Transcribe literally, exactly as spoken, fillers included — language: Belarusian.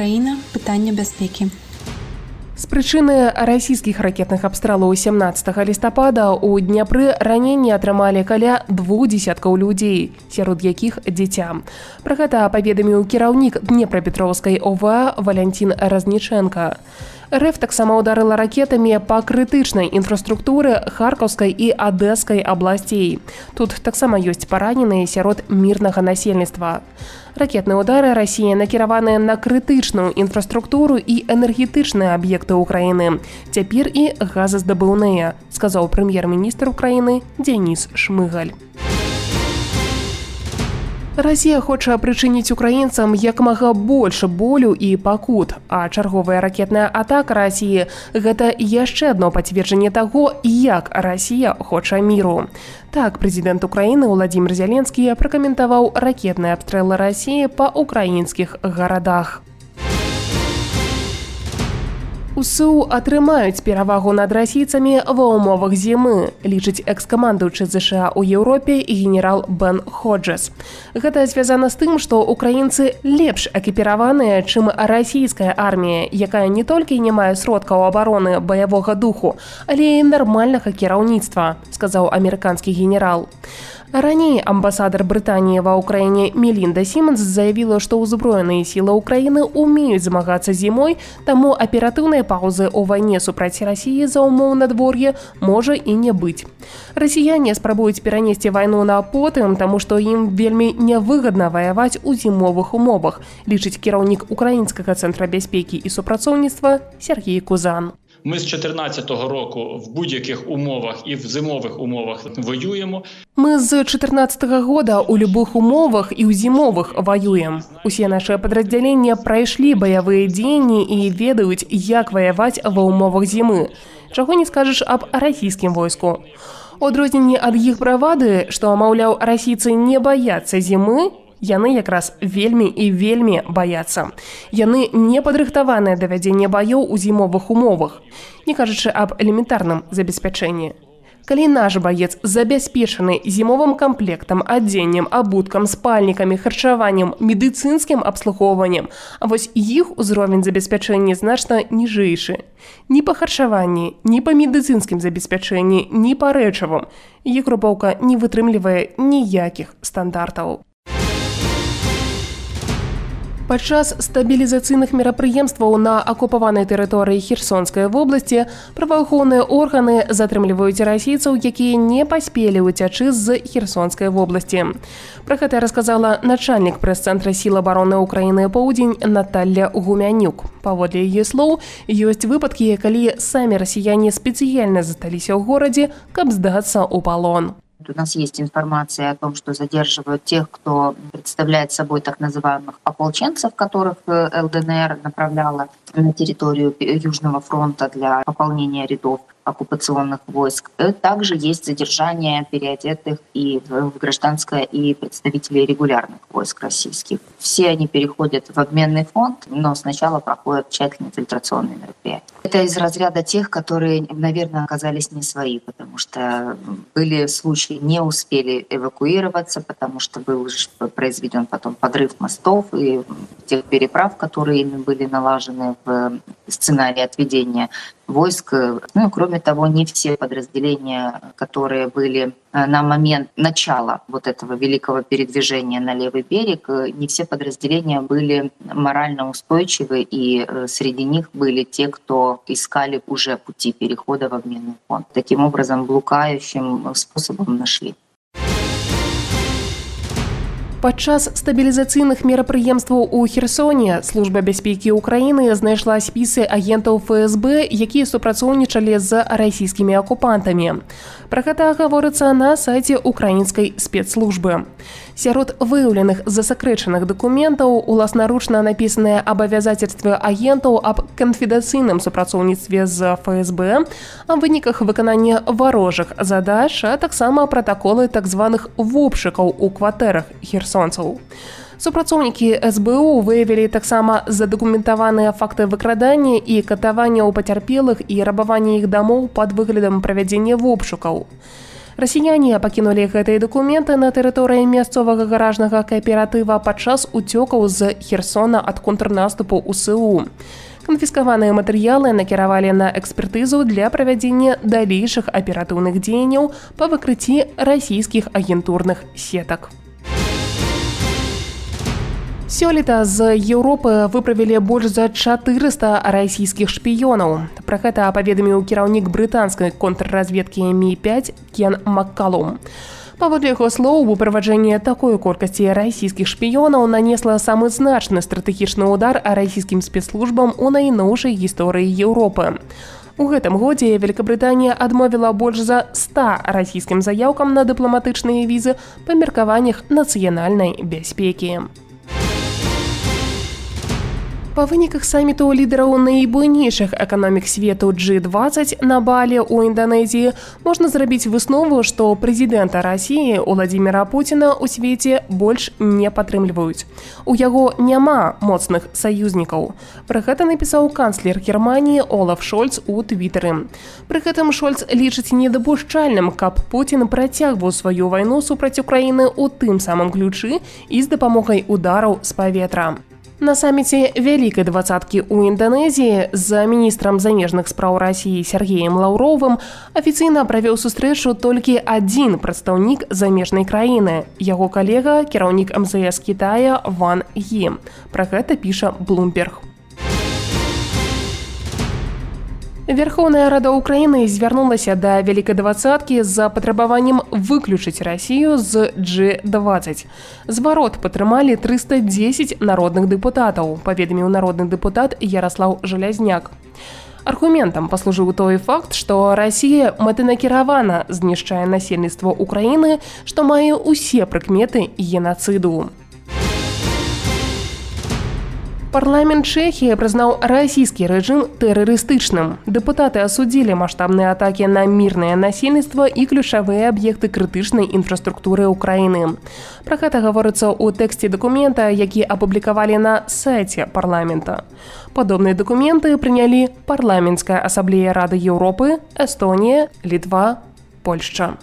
Украіна. Пытанне бяспекі. З прычыны расійскіх ракетных абстралаў сямнаццатага лістапада ў Дняпры раненні атрымалі каля двух дзесяткаў людзей, сярод якіх дзіця. Пра гэта паведаміў кіраўнік Днепрапетроўскай О В А Валянцін Разніченка. РФ таксама ударыла ракетамі па крытычнай інфраструктуры Харкаўскай і Адэскай абласцей. Тут таксама ёсць параненыя сярод мірнага насельніцтва. Ракетныя ўдары Расіі накіраваныя на крытычную інфраструктуру і энергетычныя аб'екты ўкраіны. Цяпер і газаздабыўныя, сказаў прэм'ер-міністр Украіны Дзеніс Шмыгаль. Расія хоча прычыніць украінцам як мага больш болю і пакут, а чарговая ракетная атака Расіі – гэта яшчэ адно пацверджанне таго, як Расія хоча міру. Так, прэзідэнт Украіны Уладзімір Зеленскі пракаментаваў ракетныя абстрэлы Расіі па ўкраінскіх гарадах. УСУ атрымаюць перавагу над расійцамі ва ўмовах зімы, лічыць экс-камандуючы ЗША ў Еўропе і генерал Бен Ходжес. Гэта звязана з тым, што украінцы лепш экіпіраваныя, чым расійская армія, якая не толькі не мае сродкаў абароны баявога духу, але і нармальнага кіраўніцтва, сказаў амерыканскі генерал. Раней амбасадар Брытаніі ва ўкраіне Мелінда Сіманс заявіла, што ўзброеныя сілы ўкраіны ўмеюць змагацца зімой, таму аператыўнай паўзы ў вайне супраць Расіі за ўмоў надвор'я можа і не быць. Расіяне спрабуюць перанесці вайну на потым, таму што ім вельмі нявыгадна ваяваць у зімовых умовах, лічыць кіраўнік Украінскага цэнтра бяспекі і супрацоўніцтва Сергій Кузан. Ми з чотирнадцятого року в будь-яких умовах і в зимових умовах воюємо. Мы з чатырнаццатага года ў любых умовах і ў зімовых ваюем. Усе нашыя падраздзяленні прайшлі баявыя дзеянні і ведаюць, як ваяваць ва ўмовах зімы. Чаго не скажаш аб расійскім войску. У адрозненні ад іх бравады, што, маўляў, расійцы не баяцца зімы, яны якраз вельмі і вельмі баяцца. Яны не падрыхтаваныя да вядзення баёў у зімовых умовах, не кажучы аб элементарным забеспячэнні. Калі наш баец забяспечаны зімовым камплектам, адзеннем, абуткам, спальнікамі, харчаваннем, медыцынскім абслугоўваннем, а вось іх узровень забеспячэння значна ніжэйшы. Ні па харчаванні, ні па медыцынскім забеспячэнні, ні па рэчавым. Іх групоўка не вытрымлівае ніякіх стандартаў. Падчас стабілізацыйных мерапрыемстваў на акупаванай тэрыторыі Херсонскай вобласці праваахоўныя органы затрымліваюць расійцаў, якія не паспелі ўцячы з Херсонскай вобласці. Пра гэта расказала начальнік прэс-цэнтра сіл абароны Украіны Поўдзень Наталля Гумянюк. Паводле яе слоў, ёсць выпадкі, калі самі расіяне спецыяльна засталіся ў горадзе, каб здацца ў палон. У нас есть информация о том, что задерживают тех, кто представляет собой так называемых ополченцев, которых Л Д Н Р направляла на территорию Южного фронта для пополнения рядов оккупационных войск. Также есть задержание переодетых и в гражданское, и представителей регулярных войск российских. Все они переходят в обменный фонд, но сначала проходят тщательные фильтрационные мероприятия. Это из разряда тех, которые, наверное, оказались не свои, потому что были случаи, не успели эвакуироваться, потому что был произведен потом подрыв мостов и тех переправ, которые ими были налажены в сценарии отведения войск. Ну, кроме того, не все подразделения, которые были на момент начала вот этого великого передвижения на левый берег, не все подразделения были морально устойчивы, и среди них были те, кто искали уже пути перехода в обменный фонд. Таким образом, блукающим способом нашли. Падчас стабілізацыйных мерапрыемстваў у Херсоне Служба бяспекі Украіны знайшла спісы агентаў Ф С Б, якія супрацоўнічалі з расійскімі акупантамі. Пра гэта гаворыцца на сайце украінскай спецслужбы. Сярод выяўленых засакрэчаных дакументаў уласнаручна напісаныя абавязацельствы агентаў аб канфідэнцыйным супрацоўніцтве з Ф С Б, аб выніках выканання варожых задач, а таксама пратаколы так званых вопшыкаў у кватэрах херсонцаў. Супрацоўнікі С Б У выявілі таксама задакументаваныя факты выкрадання і катавання ў пацярпелых і рабавання іх дамоў пад выглядам правядзення вопшукаў. Расіяне пакінулі гэтыя дакументы на тэрыторыі мясцовага гаражнага кааператыва падчас уцёкаў з Херсона ад контрнаступу ў СУ. Канфіскаваныя матэрыялы накіравалі на экспертызу для правядзення далейшых аператыўных дзеянняў па выкрыцці расійскіх агентурных сетак. Сёлета з Еўропы выправілі больш за чатырыста расійскіх шпіёнаў. Пра гэта паведаміў кіраўнік брытанскай контрразведкі эм і пяць Кен Маккалум. Паводле яго слоў, выправаджэнне такой колькасці расійскіх шпіёнаў нанесла самы значны стратэгічны ўдар расійскім спецслужбам у найноўшай гісторыі Еўропы. У гэтым годзе Вялікабрытанія адмовіла больш за ста расійскім заяўкам на дыпламатычныя візы па меркаваннях нацыянальнай бяспекі. Па выніках саміту лідараў найбуйнейшых эканомік свету джи двадцать на Балі ў Інданезіі можна зрабіць выснову, што прэзідэнта Расіі Уладзіміра Пуціна ў свеце больш не падтрымліваюць. У яго няма моцных саюзнікаў. Пра гэта напісаў канцлер Германіі Олаф Шольц у Твітары. Пры гэтым Шольц лічыць недапушчальным, каб Пуцін працягваў сваю вайну супраць Украіны ў тым самым ключы і з дапамогай удараў з паветра. На саміце Вялікай двадцаткі ў Інданезіі з міністрам замежных спраў Расіі Сергеем Лаўровым афіцыйна правёў сустрэчу толькі адзін прадстаўнік замежнай краіны, яго калега, кіраўнік эм зэ эс Кітая Ван Гі. Пра гэта піша Bloomberg. Верховная Рада Украіны звярнулася да Вялікай двадцаткі з патрабаваннем выключыць Расію з джи двадцать. Зварот падтрымалі трыста дзесяць народных дэпутатаў, паведаміў народны дэпутат Яраслаў Жалязняк. Аргументам паслужыў той факт, што Расія мэтанакіравана знішчае насельніцтва Украіны, што мае ўсе прыкметы генацыду. Парламент Чэхіі прызнаў расійскі рэжым тэрарыстычным. Дэпутаты асудзілі маштабныя атакі на мірнае насельніцтва і ключавыя аб'екты крытычнай інфраструктуры ўкраіны. Пра гэта гаворыцца ў тэксце дакумента, які апублікавалі на сайце парламента. Падобныя дакументы прынялі парламенцкая асамблея Рады Еўропы, Эстонія, Літва, Польшча.